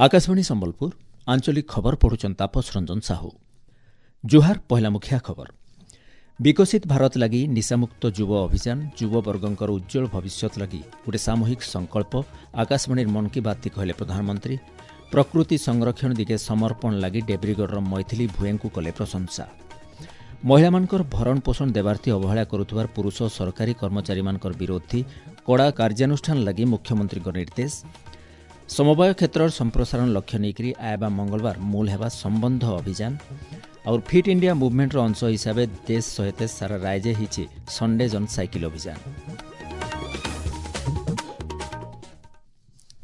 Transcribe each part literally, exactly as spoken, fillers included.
ଆକାଶବାଣୀ ସମ୍ବଲପୁର ଆଞ୍ଚଳିକ ଖବର ପଢୁଛନ୍ ତାପସ ରଞ୍ଜନ ସାହୁ ଜୁହାର ପହିଲା ମୁଖିଆ ଖବର ବିକଶିତ ଭାରତ ଲାଗି ନିଶାମୁକ୍ତ ଯୁବ ଅଭିଯାନ ଯୁବବର୍ଗଙ୍କର ଉଜ୍ଜ୍ୱଳ ଭବିଷ୍ୟତ ଲାଗି ଗୋଟେ ସାମୂହିକ ସଂକଳ୍ପ ଆକାଶବାଣୀର ମନ୍ କି ବାତ୍ କହିଲେ ପ୍ରଧାନମନ୍ତ୍ରୀ ପ୍ରକୃତି ସଂରକ୍ଷଣ ଦିଗେ ସମର୍ପଣ ଲାଗି ଡେବ୍ରିଗଡ଼ର ମୈଥିଲି ଭୁଏଙ୍କୁ କଲେ ପ୍ରଶଂସା ମହିଳାମାନଙ୍କର ଭରଣ ପୋଷଣ ଦେବାର୍ଥୀ ଅବହେଳା କରୁଥିବାର ପୁରୁଷ ସରକାରୀ କର୍ମଚାରୀମାନଙ୍କର ବିରୋଧୀ କଡ଼ା କାର୍ଯ୍ୟାନୁଷ୍ଠାନ ଲାଗି ମୁଖ୍ୟମନ୍ତ୍ରୀଙ୍କ ନିର୍ଦ୍ଦେଶ ସମବାୟ କ୍ଷେତ୍ରର ସମ୍ପ୍ରସାରଣ ଲକ୍ଷ୍ୟ ନେଇକରି ଆଇବା ମଙ୍ଗଳବାର ମୂଳ ହେବା ସମ୍ବନ୍ଧ ଅଭିଯାନ और फिट इंडिया ମୁଭମେଣ୍ଟର ଅଂଶ ହିସାବେ ଦେଶ ସହିତ ସାରା ରାଜ୍ୟ ହେଇଛି ସଣ୍ଡେ ଜନ୍ ସାଇକେଲ ଅଭିଯାନ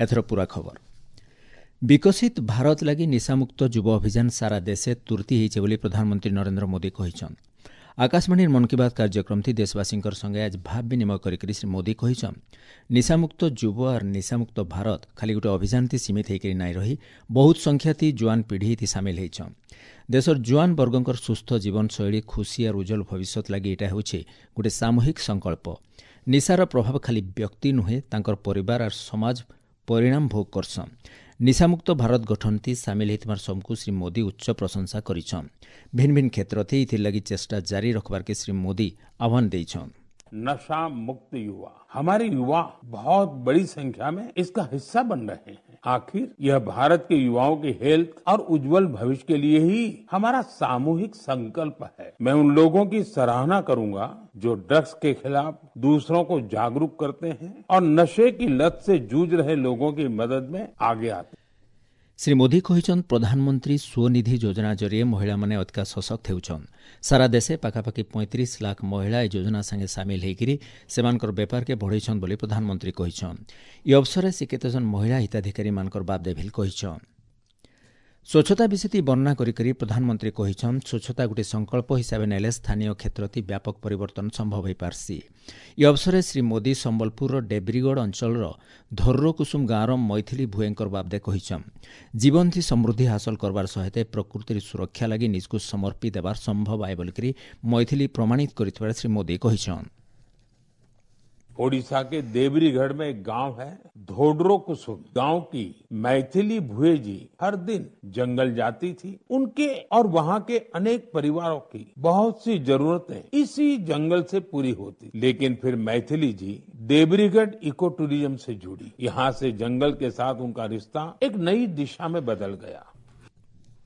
ଏଥର ପୁରା ଖବର ବିକଶିତ ଭାରତ ଲାଗି ନିଶାମୁକ୍ତ ଯୁବ ଅଭିଯାନ ସାରା ଦେଶେ ତୁର୍ତି ହେଇছে ବୋଲି ପ୍ରଧାନମନ୍ତ୍ରୀ ନରେନ୍ଦ୍ର ମୋଦି କହିଛନ୍ ଆକାଶବାଣୀର ମନ୍ କି ବାତ୍ କାର୍ଯ୍ୟକ୍ରମଥି ଦେଶବାସୀଙ୍କର ସଙ୍ଗେ ଆଜ ଭାବ ବିନିମୟ କରିକରି ଶ୍ରୀ ମୋଦି କହିଛନ୍ ନିଶାମୁକ୍ତ ଯୁବ ଆର୍ ନିଶାମୁକ୍ତ ଭାରତ ଖାଲି ଗୋଟେ ଅଭିଯାନଥି ସୀମିତ ହେଇକରି ନାଇଁ ରହି ବହୁତ ସଂଖ୍ୟାଥି ଜୁଆନ ପିଢ଼ିଥି ସାମିଲ ହେଇଛନ୍ ଦେଶର ଜୁଆନ ବର୍ଗଙ୍କର ସୁସ୍ଥ ଜୀବନଶୈଳୀ ଖୁସି ଆର୍ ଉଜ୍ଜଳ ଭବିଷ୍ୟତ ଲାଗି ଏଇଟା ହେଉଛି ଗୋଟେ ସାମୂହିକ ସଂକଳ୍ପ ନିଶାର ପ୍ରଭାବ ଖାଲି ବ୍ୟକ୍ତି ନୁହେଁ ତାଙ୍କର ପରିବାର ଆର୍ ସମାଜ ପରିଣାମ ଭୋଗ କରସନ୍ ନିଶାମୁକ୍ତ ଭାରତ ଗଠନଥି ସାମିଲ ହେଇଥିବାର ସବୁକୁ ଶ୍ରୀ ମୋଦି ଉଚ୍ଚ ପ୍ରଶଂସା କରିଛନ୍ ଭିନ୍ନ ଭିନ୍ନ କ୍ଷେତ୍ରଥି ଏଥିର୍ଲାଗି ଚେଷ୍ଟା ଜାରି ରଖବାର୍କେ ଶ୍ରୀ ମୋଦି ଆହ୍ୱାନ ଦେଇଛନ୍ नशा मुक्त युवा हमारे युवा बहुत बड़ी संख्या में इसका हिस्सा बन रहे हैं आखिर यह भारत के युवाओं की हेल्थ और उज्जवल भविष्य के लिए ही हमारा सामूहिक संकल्प है मैं उन लोगों की सराहना करूंगा जो ड्रग्स के खिलाफ दूसरों को जागरूक करते हैं और नशे की लत से जूझ रहे लोगों की मदद में आगे आते हैं ଶ୍ରୀ ମୋଦି କହିଛନ୍ ପ୍ରଧାନମନ୍ତ୍ରୀ ସ୍ୱନିଧି ଯୋଜନା ଜରିଏ ମହିଳାମାନେ ଅଧିକା ସଶକ୍ତ ହେଉଛନ୍ ସାରା ଦେଶେ ପାଖାପାଖି ପଇଁତିରିଶ ଲାଖ ମହିଳା ଏ ଯୋଜନା ସାଙ୍ଗେ ସାମିଲ ହେଇକିରି ସେମାନଙ୍କର ବେପାରକେ ବଢ଼େଇଛନ୍ ବୋଲି ପ୍ରଧାନମନ୍ତ୍ରୀ କହିଛନ୍ ଏ ଅବସରରେ ସେ କେତେଜଣ ମହିଳା ହିତାଧିକାରୀମାନଙ୍କର ବାବଦେ ଭିଲ୍ କହିଛନ୍ ସ୍ୱଚ୍ଛତା ବିଷୟଟି ବର୍ଣ୍ଣନା କରିକରି ପ୍ରଧାନମନ୍ତ୍ରୀ କହିଛନ୍ ସ୍ୱଚ୍ଛତା ଗୋଟିଏ ସଂକଳ୍ପ ହିସାବେ ନେଲେ ସ୍ଥାନୀୟ କ୍ଷେତ୍ରତି ବ୍ୟାପକ ପରିବର୍ତ୍ତନ ସମ୍ଭବ ହୋଇପାରସି ଏ ଅବସରରେ ଶ୍ରୀ ମୋଦି ସମ୍ବଲପୁରର ଡେବ୍ରିଗଡ଼ ଅଞ୍ଚଳର ଧର୍ରକୁସୁମ ଗାଁର ମୈଥିଲି ଭୁଏଙ୍କର ବାବଦେ କହିଛନ୍ ଜୀବନଥି ସମୃଦ୍ଧି ହାସଲ କରବାର ସହିତ ପ୍ରକୃତିର ସୁରକ୍ଷା ଲାଗି ନିଜକୁ ସମର୍ପି ଦେବାର ସମ୍ଭବ ଆଏ ବୋଲିକରି ମୈଥିଲି ପ୍ରମାଣିତ କରିଥିବାର ଶ୍ରୀ ମୋଦି କହିଛନ୍ ओडिशा के देवरीगढ़ में एक गांव है धोडरो कुसुम गांव की मैथिली भुए जी हर दिन जंगल जाती थी उनके और वहां के अनेक परिवारों की बहुत सी जरूरतें इसी जंगल से पूरी होती लेकिन फिर मैथिली जी देवरीगढ़ इको टूरिज्म से जुड़ी यहाँ से जंगल के साथ उनका रिश्ता एक नई दिशा में बदल गया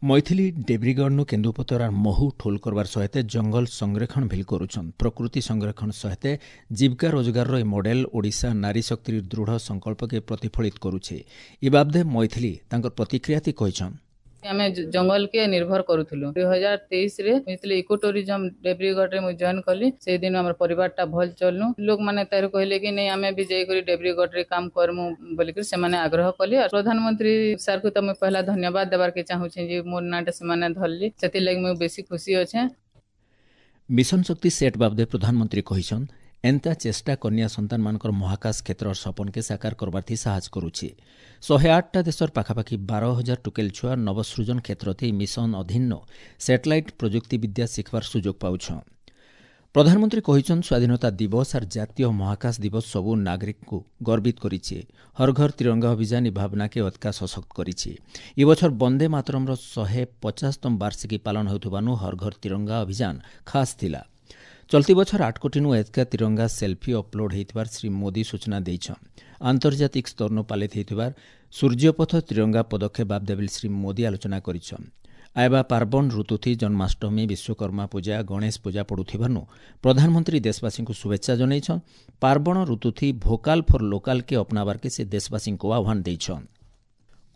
ମୈଥିଲି ଡେବ୍ରିଗଡ଼ନୁ କେନ୍ଦୁପତର ଆର୍ ମହୁ ଠୋଲ କରବାର ସହିତ ଜଙ୍ଗଲ ସଂରକ୍ଷଣ ଭିଲ୍ କରୁଛନ୍ ପ୍ରକୃତି ସଂରକ୍ଷଣ ସହିତ ଜୀବିକା ରୋଜଗାରର ଏ ମଡେଲ ଓଡ଼ିଶା ନାରୀ ଶକ୍ତିର ଦୃଢ଼ ସଂକଳ୍ପକେ ପ୍ରତିଫଳିତ କରୁଛେ ଏ ବାବଦେ ମୈଥିଲି ତାଙ୍କର ପ୍ରତିକ୍ରିୟାତି କହିଛନ୍ ଆମେ ଜଙ୍ଗଲ କେ ନିର୍ଭର କରୁଥିଲୁ ଦୁଇ ହଜାର ତେଇଶରେ ଯେତେବେଳେ ଇକୋ ଟୁରିଜମ ଡେବ୍ରିଗଡ଼ରେ ମୁଁ ଜଏନ୍ କଲି ସେଇଦିନ ଆମର ପରିବାରଟା ଭଲ ଚଲନୁ ଲୋକମାନେ ତାରୁ କହିଲେ କି ନାଇଁ ଆମେ ବି ଯାଇକରି ଡେବ୍ରିଗଡ଼ରେ କାମ କରମୁ ବୋଲିକରି ସେମାନେ ଆଗ୍ରହ କଲେ ଆଉ ପ୍ରଧାନମନ୍ତ୍ରୀ ସାର୍କୁ ତ ମୁଇଁ ପହିଲା ଧନ୍ୟବାଦ ଦେବାର୍କେ ଚାହୁଁଛେ ଯେ ମୋର ନାଁଟା ସେମାନେ ଧରଲି ସେଥିର୍ଲାଗି ମୁଇଁ ବେଶୀ ଖୁସି ଅଛେ ମିଶନ ଶକ୍ତି ସେଟ୍ ବାବଦେ ପ୍ରଧାନମନ୍ତ୍ରୀ କହିଛନ୍ ଏନ୍ତା ଚେଷ୍ଟା କନ୍ୟା ସନ୍ତାନମାନଙ୍କର ମହାକାଶ କ୍ଷେତ୍ରର ସପନକେ ସାକାର କରବାର୍ଥି ସାହାଯ୍ୟ କରୁଛି ଶହେ ଆଠଟା ଦେଶର ପାଖାପାଖି ବାର ହଜାର ଟୁକେଲ ଛୁଆ ନବସୃଜନ କ୍ଷେତ୍ରଥି ମିଶନ ଅଧୀନ ସ୍ୟାଟେଲାଇଟ୍ ପ୍ରଯୁକ୍ତିବିଦ୍ୟା ଶିଖବାର ସୁଯୋଗ ପାଉଛନ୍ ପ୍ରଧାନମନ୍ତ୍ରୀ କହିଛନ୍ ସ୍ୱାଧୀନତା ଦିବସ ଆର୍ ଜାତୀୟ ମହାକାଶ ଦିବସ ସବୁ ନାଗରିକଙ୍କୁ ଗର୍ବିତ କରିଛି ହର ଘର ତିରଙ୍ଗା ଅଭିଯାନ ଏ ଭାବନାକେ ଅଧିକା ସଶକ୍ତ କରିଛି ଏ ବଛର ବନ୍ଦେ ମାତରମ୍ର ଶହେ ପଚାଶତମ ବାର୍ଷିକୀ ପାଳନ ହେଉଥିବାନୁ ହର ଘର ତିରଙ୍ଗା ଅଭିଯାନ ଖାସ୍ ଥିଲା ଚଲତି ବଛର ଆଠ କୋଟିନୁ ଏତକା ତିରଙ୍ଗା ସେଲ୍ଫି ଅପଲୋଡ୍ ହେଇଥିବାର ଶ୍ରୀ ମୋଦି ସୂଚନା ଦେଇଛନ୍ ଆନ୍ତର୍ଜାତିକ ସ୍ତରନୁ ପାଳିତ ହେଇଥିବାର ସୂର୍ଯ୍ୟପଥ ତିରଙ୍ଗା ପଦକ୍ଷେପ ବାବଦେ ବୋଲି ଶ୍ରୀ ମୋଦି ଆଲୋଚନା କରିଛନ୍ ଆଇବା ପାର୍ବଣ ଋତୁଥି ଜନ୍ମାଷ୍ଟମୀ ବିଶ୍ୱକର୍ମା ପୂଜା ଗଣେଶ ପୂଜା ପଡ଼ୁଥିବାରୁ ପ୍ରଧାନମନ୍ତ୍ରୀ ଦେଶବାସୀଙ୍କୁ ଶୁଭେଚ୍ଛା ଜଣାଇଛନ୍ ପାର୍ବଣ ଋତୁଥି ଭୋକାଲ୍ ଫର୍ ଲୋକାଲ୍କେ ଅପନାବାର୍କେ ସେ ଦେଶବାସୀଙ୍କୁ ଆହ୍ୱାନ ଦେଇଛନ୍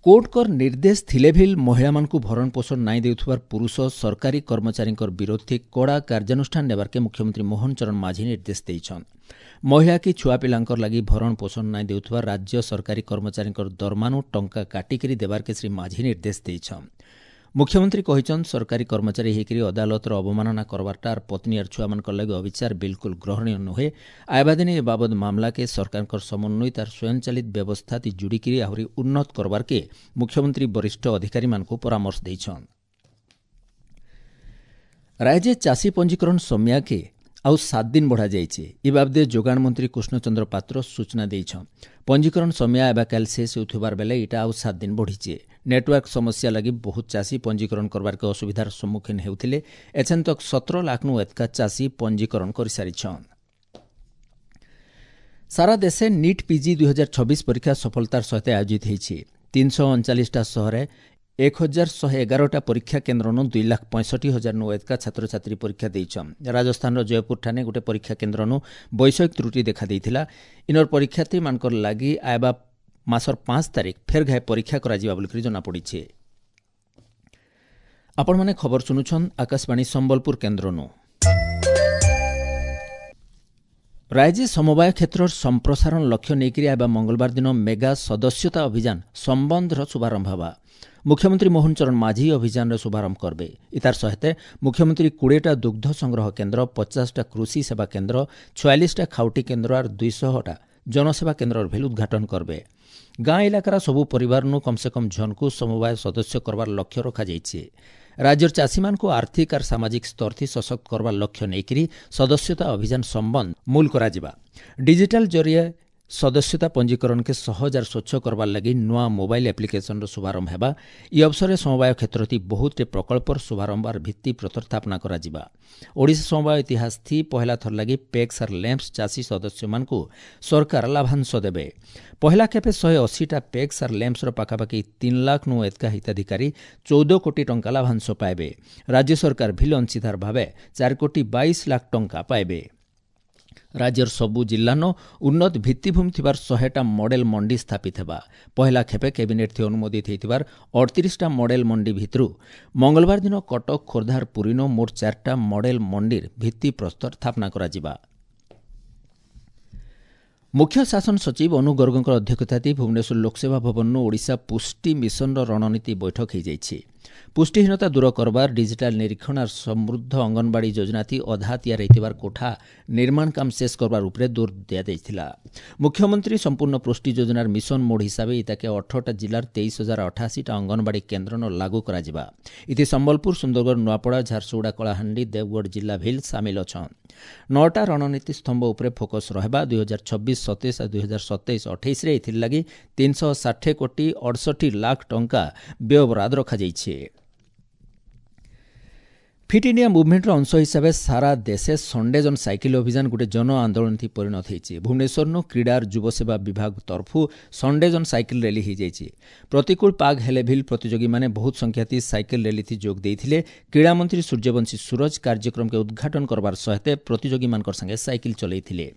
କୋର୍ଟଙ୍କର ନିର୍ଦ୍ଦେଶ ଥିଲେ ଭିଲ୍ ମହିଳାମାନଙ୍କୁ ଭରଣ ପୋଷଣ ନାଇଁ ଦେଉଥିବାର ପୁରୁଷ ସରକାରୀ କର୍ମଚାରୀଙ୍କର ବିରୋଧୀ କଡ଼ା କାର୍ଯ୍ୟାନୁଷ୍ଠାନ ନେବାର୍କେ ମୁଖ୍ୟମନ୍ତ୍ରୀ ମୋହନ ଚରଣ ମାଝୀ ନିର୍ଦ୍ଦେଶ ଦେଇଛନ୍ ମହିଳା କି ଛୁଆ ପିଲାଙ୍କର ଲାଗି ଭରଣ ପୋଷଣ ନାଇଁ ଦେଉଥିବା ରାଜ୍ୟ ସରକାରୀ କର୍ମଚାରୀଙ୍କର ଦରମାନୁ ଟଙ୍କା କାଟିକିରି ଦେବାର୍କେ ଶ୍ରୀ ମାଝୀ ନିର୍ଦ୍ଦେଶ ଦେଇଛନ୍ ମୁଖ୍ୟମନ୍ତ୍ରୀ କହିଛନ୍ ସରକାରୀ କର୍ମଚାରୀ ହେଇକରି ଅଦାଲତର ଅବମାନନା କରବାରଟା ଆର୍ ପତ୍ନୀ ଆର୍ ଛୁଆମାନଙ୍କର ଲାଗି ଅବିଚାର ବିଲକୁଲ ଗ୍ରହଣୀୟ ନୁହେଁ ଆଇବା ଦିନେ ଏ ବାବଦ ମାମଲାକେ ସରକାରଙ୍କର ସମନ୍ୱିତ ଆର୍ ସ୍ୱୟଂଚାଳିତ ବ୍ୟବସ୍ଥାତି ଯୋଡ଼ିକିରି ଆହୁରି ଉନ୍ନତ କରବାର୍କେ ମୁଖ୍ୟମନ୍ତ୍ରୀ ବରିଷ୍ଠ ଅଧିକାରୀମାନଙ୍କୁ ପରାମର୍ଶ ଦେଇଛନ୍ ରାଜ୍ୟ ଚାଷୀ ପଞ୍ଜୀକରଣ ସମିୟାକେ ଆଉ ସାତ ଦିନ ବଢ଼ାଯାଇଛି। ଇ ବାବଦେ ଯୋଗାଣ ମନ୍ତ୍ରୀ କୃଷ୍ଣଚନ୍ଦ୍ର ପାତ୍ର ସୂଚନା ଦେଇଛନ୍। ପଞ୍ଜୀକରଣ ସମୟ ଏବେ କାଲି ଶେଷ ହେଉଥିବାର ବେଲେ ଇଟା ଆଉ ସାତ ଦିନ ବଢ଼ିଛେ। ନେଟୱାର୍କ ସମସ୍ୟା ଲାଗି ବହୁତ ଚାଷୀ ପଞ୍ଜୀକରଣ କରବାର୍କେ ଅସୁବିଧାର ସମ୍ମୁଖୀନ ହେଉଥିଲେ। ଏଛେନ୍ ତକ୍ ସତର ଲାଖ୍ନୁ ଏତ୍କା ଚାଷୀ ପଞ୍ଜୀକରଣ କରିସାରିଛନ୍। ସାରା ଦେଶେ ନିଟ୍ ପିଜି ଦୁଇ ହଜାର ଛବିଶ ପରୀକ୍ଷା ସଫଳତାର ସହିତ ଆୟୋଜିତ ହୋଇଛି। ତିନିଶହ ଅଣଚାଳିଶଟା ସହରେ ଏକ ହଜାର ଶହେ ଏଗାରଟା ପରୀକ୍ଷା କେନ୍ଦ୍ରନୁ ଦୁଇ ଲାଖ ପଞ୍ଚଷଠି ହଜାର ନୁ ଏତକା ଛାତ୍ରଛାତ୍ରୀ ପରୀକ୍ଷା ଦେଇଛନ୍। ରାଜସ୍ଥାନର ଜୟପୁରଠାନେ ଗୋଟେ ପରୀକ୍ଷା କେନ୍ଦ୍ରନୁ ବୈଷୟିକ ତ୍ରୁଟି ଦେଖାଦେଇଥିଲା। ଇନର ପରୀକ୍ଷାର୍ଥୀମାନଙ୍କର ଲାଗି ଆଇବା ମାସର ପାଞ୍ଚ ତାରିଖ ଫେର୍ ଘାଏ ପରୀକ୍ଷା କରାଯିବା ବୋଲିକରି ଜଣାପଡ଼ିছে। ଆପଣମାନେ ଖବର ଶୁଣୁଛନ୍ ଆକାଶବାଣୀ ସମ୍ବଲପୁର କେନ୍ଦ୍ରନୁ। ରାଜ୍ୟ ସମବାୟ କ୍ଷେତ୍ରର ସମ୍ପ୍ରସାରଣ ଲକ୍ଷ୍ୟ ନେଇକରି ଆଇବା ମଙ୍ଗଳବାର ଦିନ ମେଗା ସଦସ୍ୟତା ଅଭିଯାନ ସମ୍ବନ୍ଧର ଶୁଭାରମ୍ଭ ହେବା। ମୁଖ୍ୟମନ୍ତ୍ରୀ ମୋହନ ଚରଣ ମାଝୀ ଅଭିଯାନର ଶୁଭାରମ୍ଭ କରିବେ। ଇତାର ସହିତ ମୁଖ୍ୟମନ୍ତ୍ରୀ କୋଡ଼ିଏଟା ଦୁଗ୍ଧ ସଂଗ୍ରହ କେନ୍ଦ୍ର, ପଚାଶଟା କୃଷି ସେବା କେନ୍ଦ୍ର, ଛୟାଳିଶଟା ଖାଉଟି କେନ୍ଦ୍ର ଆର୍ ଦୁଇଶହଟା ଜନସେବା କେନ୍ଦ୍ରର ଭେଲ ଉଦ୍ଘାଟନ କରିବେ। ଗାଁ ଇଲାକାର ସବୁ ପରିବାରନୁ କମ୍ ସେ କମ୍ ଝନକୁ ସମବାୟ ସଦସ୍ୟ କରବାର ଲକ୍ଷ୍ୟ ରଖାଯାଇଛି। ରାଜ୍ୟର ଚାଷୀମାନଙ୍କୁ ଆର୍ଥିକ ଆର୍ ସାମାଜିକ ସ୍ତରଥି ସଶକ୍ତ କରବାର ଲକ୍ଷ୍ୟ ନେଇକରି ସଦସ୍ୟତା ଅଭିଯାନ ସମ୍ବନ୍ଧ ମୂଲ କରାଯିବା। ଡିଜିଟାଲ ଜରିଏ ସଦସ୍ୟତା ପଞ୍ଜୀକରଣକେ ସହଜ ଆର୍ ସ୍ୱଚ୍ଛ କରବାର ଲାଗି ନୂଆ ମୋବାଇଲ ଆପ୍ଲିକେସନର ଶୁଭାରମ୍ଭ ହେବା। ଇ ଅବସରରେ ସମବାୟ କ୍ଷେତ୍ରଟି ବହୁତଟେ ପ୍ରକଳ୍ପର ଶୁଭାରମ୍ଭ ଆର୍ ଭିତ୍ତିପ୍ରସ୍ତର ସ୍ଥାପନା କରାଯିବା। ଓଡ଼ିଶା ସମବାୟ ଇତିହାସ ଥି ପହିଲା ଥର ଲାଗି ପେକ୍ସ ଆର୍ ଲ୍ୟାମ୍ପସ ଚାଷୀ ସଦସ୍ୟମାନଙ୍କୁ ସରକାର ଲାଭାଂଶ ଦେବେ। ପହିଲା ଖେପେ ଶହେ ଅଶୀଟା ପେକ୍ସ ଆର୍ ଲ୍ୟାମ୍ପସର ପାଖାପାଖି ତିନି ଲାଖ ନୁ ଏତକା ହିତାଧିକାରୀ ଚଉଦ କୋଟି ଟଙ୍କା ଲାଭାଂଶ ପାଇବେ। ରାଜ୍ୟ ସରକାର ଭିଲ ଅଂଶୀଦାର ଭାବେ ଚାରି କୋଟି ବାଇଶ ଲାଖ ଟଙ୍କା ପାଇବେ। ରାଜ୍ୟର ସବୁ ଜିଲ୍ଲାନ ଉନ୍ନତ ଭିତ୍ତିଭୂମି ଥିବାର ଶହେଟା ମଡେଲ ମଣ୍ଡି ସ୍ଥାପିତ ହେବା। ପହିଲା ଖେପେ କ୍ୟାବିନେଟ୍ ଥି ଅନୁମୋଦିତ ହୋଇଥିବାର ଅଠତିରିଶଟା ମଡେଲ ମଣ୍ଡି ଭିତରୁ ମଙ୍ଗଳବାର ଦିନ କଟକ, ଖୋର୍ଦ୍ଧା, ପୁରୀନ ମୋଟ ଚାରିଟା ମଡେଲ ମଣ୍ଡିର ଭିତ୍ତିପ୍ରସ୍ତର ସ୍ଥାପନା କରାଯିବା। ମୁଖ୍ୟ ଶାସନ ସଚିବ ଅନୁ ଗର୍ଗଙ୍କ ଅଧ୍ୟକ୍ଷତାରେ ଭୁବନେଶ୍ୱର ଲୋକସେବା ଭବନରୁ ଓଡ଼ିଶା ପୁଷ୍ଟି ମିଶନର ରଣନୀତି ବୈଠକ ହୋଇଯାଇଛି। ପୁଷ୍ଟିହୀନତା ଦୂର କରବାର, ଡିଜିଟାଲ ନିରୀକ୍ଷଣ ଆର୍ ସମୃଦ୍ଧ ଅଙ୍ଗନବାଡ଼ି ଯୋଜନାଥି ଅଧା ତିଆରି ହୋଇଥିବାର କୋଠା ନିର୍ମାଣ କାମ ଶେଷ କରବାର ଉପରେ ଜୋର ଦିଆଯାଇଥିଲା। ମୁଖ୍ୟମନ୍ତ୍ରୀ ସମ୍ପୂର୍ଣ୍ଣ ପୁଷ୍ଟି ଯୋଜନାର ମିଶନ ମୋଡ୍ ହିସାବେ ଇତାକେ ଅଠରଟା ଜିଲ୍ଲାର ତେଇଶ ହଜାର ଅଠାଅଶୀଟା ଅଙ୍ଗନବାଡ଼ି କେନ୍ଦ୍ରନ ଲାଗୁ କରାଯିବା। ଇଥି ସମ୍ବଲପୁର, ସୁନ୍ଦରଗଡ଼, ନୂଆପଡ଼ା, ଝାରସୁଗୁଡ଼ା, କଳାହାଣ୍ଡି, ଦେବଗଡ଼ ଜିଲ୍ଲା ଭିଲ୍ ସାମିଲ ଅଛନ୍। ନଅଟା ରଣନୀତି ସ୍ତମ୍ଭ ଉପରେ ଫୋକସ୍ ରହିବା। ଦୁଇ ହଜାର ଛବିଶ ସତେଇଶ ଆଉ ଦୁଇ ହଜାର ସତେଇଶ ଅଠେଇଶରେ ଏଥିର୍ଲାଗି ତିନିଶହ ଷାଠିଏ କୋଟି ଅଡ଼ଷଠି ଲାଖ ଟଙ୍କା ବ୍ୟୟବରାଦ ରଖାଯାଇଛି। ଫିଟ୍ ଇଣ୍ଡିଆ ମୁଭମେଣ୍ଟର ଅଂଶ ହିସାବେ ସାରା ଦେଶେ ସଣ୍ଡେ ଜନ୍ ସାଇକେଲ ଅଭିଯାନ ଗୋଟେ ଜନ ଆନ୍ଦୋଳନ ପରିଣତ ହୋଇଛି। ଭୁବନେଶ୍ୱରନୁ କ୍ରୀଡ଼ାର ଯୁବସେବା ବିଭାଗ ତରଫୁ ସଣ୍ଡେ ଜନ୍ ସାଇକେଲ ର୍ୟାଲି ହୋଇଯାଇଛି। ପ୍ରତିକୂଳ ପାଗ ହେଲେ ଭିଲ୍ ପ୍ରତିଯୋଗୀମାନେ ବହୁତ ସଂଖ୍ୟାତି ସାଇକେଲ ର୍ୟାଲିଥି ଯୋଗ ଦେଇଥିଲେ। କ୍ରୀଡ଼ାମନ୍ତ୍ରୀ ସୂର୍ଯ୍ୟବଂଶୀ ସୂରଜ କାର୍ଯ୍ୟକ୍ରମକେ ଉଦ୍ଘାଟନ କରବାର ସହିତ ପ୍ରତିଯୋଗୀମାନଙ୍କର ସାଙ୍ଗେ ସାଇକେଲ ଚଲାଇଥିଲେ।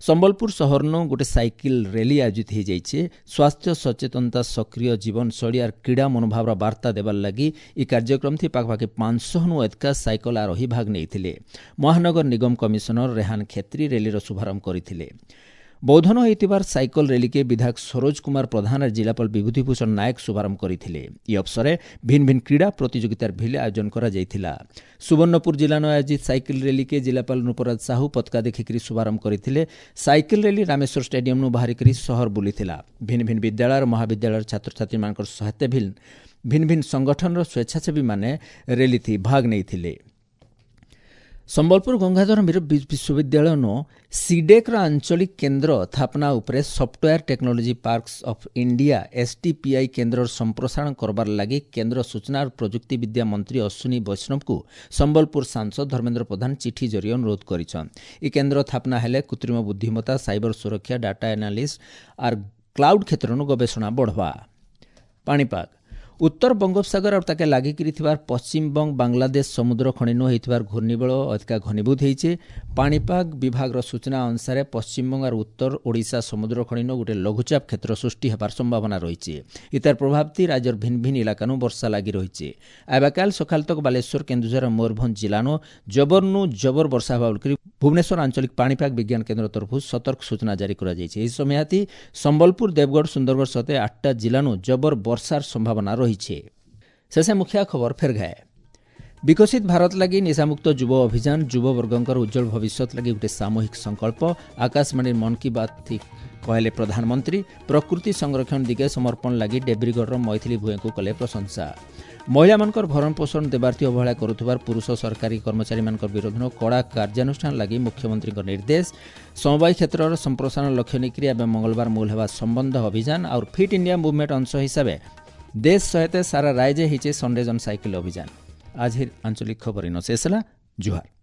ସମ୍ବଲପୁର ସହରନୁ ଗୋଟେ ସାଇକେଲ ର୍ୟାଲି ଆୟୋଜିତ ହୋଇଯାଇଛି। ସ୍ୱାସ୍ଥ୍ୟ ସଚେତନତା, ସକ୍ରିୟ ଜୀବନଶୈଳୀ ଆର୍ କ୍ରୀଡ଼ା ମନୋଭାବର ବାର୍ତ୍ତା ଦେବାର ଲାଗି ଏହି କାର୍ଯ୍ୟକ୍ରମ ଥି ପାଖାପାଖି ପାଞ୍ଚଶହନୁ ଏତକା ସାଇକେଲ ଆରୋହୀ ଭାଗ ନେଇଥିଲେ। ମହାନଗର ନିଗମ କମିଶନର ରେହାନ ଖେତ୍ରୀ ର୍ୟାଲିର ଶୁଭାରମ୍ଭ କରିଥିଲେ। ବୌଦ୍ଧନ ହୋଇଥିବାର ସାଇକେଲ ର୍ୟାଲିକେ ବିଧାୟକ ସରୋଜ କୁମାର ପ୍ରଧାନ ଆର୍ ଜିଲ୍ଲାପାଳ ବିଭୂତିଭୂଷଣ ନାୟକ ଶୁଭାରମ୍ଭ କରିଥିଲେ। ଇ ଅବସରେ ଭିନ୍ନ ଭିନ୍ନ କ୍ରୀଡ଼ା ପ୍ରତିଯୋଗିତାର ଭିଲେ ଆୟୋଜନ କରାଯାଇଥିଲା। ସୁବର୍ଣ୍ଣପୁର ଜିଲ୍ଲାନ ଆୟୋଜିତ ସାଇକେଲ ର୍ୟାଲିକେ ଜିଲ୍ଲାପାଳ ନୃପରାଜ ସାହୁ ପତାକା ଦେଖିକରି ଶୁଭାରମ୍ଭ କରିଥିଲେ। ସାଇକେଲ ର୍ୟାଲି ରାମେଶ୍ୱର ଷ୍ଟାଡିୟମନୁ ବାହାରିକରି ସହର ବୁଲିଥିଲା। ଭିନ୍ନ ଭିନ୍ନ ବିଦ୍ୟାଳୟ ମହାବିଦ୍ୟାଳୟର ଛାତ୍ରଛାତ୍ରୀମାନଙ୍କର ସହିତ ଭିନ୍ନ ଭିନ୍ନ ଭିନ୍ନ ସଂଗଠନର ସ୍ୱେଚ୍ଛାସେବୀମାନେ ର୍ୟାଲିଥି ଭାଗ ନେଇଥିଲେ। ସମ୍ବଲପୁର ଗଙ୍ଗାଧର ମେହେର ବିଶ୍ୱବିଦ୍ୟାଳୟନ ସିଡେକ୍ର ଆଞ୍ଚଳିକ କେନ୍ଦ୍ର ସ୍ଥାପନା ଉପରେ software technology parks of India STPI କେନ୍ଦ୍ରର ସମ୍ପ୍ରସାରଣ କରବାର ଲାଗି କେନ୍ଦ୍ର ସୂଚନା ଓ ପ୍ରଯୁକ୍ତିବିଦ୍ୟା ମନ୍ତ୍ରୀ ଅଶ୍ୱିନୀ ବୈଷ୍ଣବଙ୍କୁ ସମ୍ବଲପୁର ସାଂସଦ ଧର୍ମେନ୍ଦ୍ର ପ୍ରଧାନ ଚିଠି ଜରିଏ ଅନୁରୋଧ କରିଛନ୍ତି। ଏହି କେନ୍ଦ୍ର ସ୍ଥାପନା ହେଲେ କୃତ୍ରିମ ବୁଦ୍ଧିମତ୍ତା, ସାଇବର ସୁରକ୍ଷା, ଡାଟା ଆନାଲିଷ୍ଟ ଆର୍ କ୍ଲାଉଡ୍ କ୍ଷେତ୍ରନୁ ଗବେଷଣା ବଢ଼ବା। ପାଣିପାଗ ଉତ୍ତର ବଙ୍ଗୋପସାଗର ଆଉ ତାକେ ଲାଗିକିରି ଥିବାର ପଶ୍ଚିମବଙ୍ଗ ବାଂଲାଦେଶ ସମୁଦ୍ର ଖଣିନୁ ହେଇଥିବାର ଘୂର୍ଣ୍ଣିବଳ ଅଧିକା ଘନୀଭୂତ ହେଇଛେ। ପାଣିପାଗ ବିଭାଗର ସୂଚନା ଅନୁସାରେ ପଶ୍ଚିମବଙ୍ଗ ଆର୍ ଉତ୍ତର ଓଡ଼ିଶା ସମୁଦ୍ର ଖଣିନୁ ଗୋଟେ ଲଘୁଚାପ କ୍ଷେତ୍ର ସୃଷ୍ଟି ହେବାର ସମ୍ଭାବନା ରହିଛି। ଇତାର ପ୍ରଭାବତି ରାଜ୍ୟର ଭିନ୍ନ ଭିନ୍ନ ଇଲାକାନୁ ବର୍ଷା ଲାଗି ରହିଛି। ଆବାକାଲ ସକାଳ ତକ ବାଲେଶ୍ୱର, କେନ୍ଦୁଝର, ମୟୂରଭଞ୍ଜ ଜିଲ୍ଲାନୁ ଜବରନୁ ଜବର ବର୍ଷା ହେବା ବୋଲିକରି ଭୁବନେଶ୍ୱର ଆଞ୍ଚଳିକ ପାଣିପାଗ ବିଜ୍ଞାନ କେନ୍ଦ୍ର ତରଫରୁ ସତର୍କ ସୂଚନା ଜାରି କରାଯାଇଛି। ଏହି ସମୟାତି ସମ୍ବଲପୁର, ଦେବଗଡ଼, ସୁନ୍ଦରଗଡ଼ ସହିତ ଆଠଟା ଜିଲ୍ଲାନୁ ଜବର ବର୍ଷାର ସମ୍ଭାବନା ରହିଛି। ଶେଷେ ମୁଖ୍ୟ ଖବର ଫେର ଘାଏ। ବିକଶିତ ଭାରତ ଲାଗି ନିଶାମୁକ୍ତ ଯୁବ ଅଭିଯାନ ଯୁବବର୍ଗଙ୍କର ଉଜ୍ଜଳ ଭବିଷ୍ୟତ ଲାଗି ଗୋଟେ ସାମୂହିକ ସଂକଳ୍ପ। ଆକାଶବାଣୀ ମନ୍ କି ବାତ୍ କହିଲେ ପ୍ରଧାନମନ୍ତ୍ରୀ। ପ୍ରକୃତି ସଂରକ୍ଷଣ ଦିଗେ ସମର୍ପଣ ଲାଗି ଡେବ୍ରିଗଡ଼ର ମୈଥିଲି ଭୂଏଙ୍କୁ କଲେ ପ୍ରଶଂସା। ମହିଳାମାନଙ୍କର ଭରଣପୋଷଣ ଦେବାର୍ଥୀ ଅବହେଳା କରୁଥିବାର ପୁରୁଷ ସରକାରୀ କର୍ମଚାରୀମାନଙ୍କ ବିରୋଧରେ କଡ଼ା କାର୍ଯ୍ୟାନୁଷ୍ଠାନ ଲାଗି ମୁଖ୍ୟମନ୍ତ୍ରୀଙ୍କ ନିର୍ଦ୍ଦେଶ। ସମବାୟ କ୍ଷେତ୍ରର ସମ୍ପ୍ରସାରଣ ଲକ୍ଷ୍ୟ ନେଇକରି ଏବେ ମଙ୍ଗଳବାର ମୂଳ ହେବା ସମ୍ବନ୍ଧ ଅଭିଯାନ। ଆଉ ଫିଟ୍ ଇଣ୍ଡିଆ ମୁଭମେଣ୍ଟ ଅଂଶ ହିସାବେ ଦେଶ ସହିତ ସାରା ରାଜ୍ୟ ହେଇଛେ ସଣ୍ଡେ ଜନ୍ ସାଇକେଲ ଅଭିଯାନ। ଆଜିର ଆଞ୍ଚଳିକ ଖବର ଇନ ଶେଷ ହେଲା। ଜୁହାର।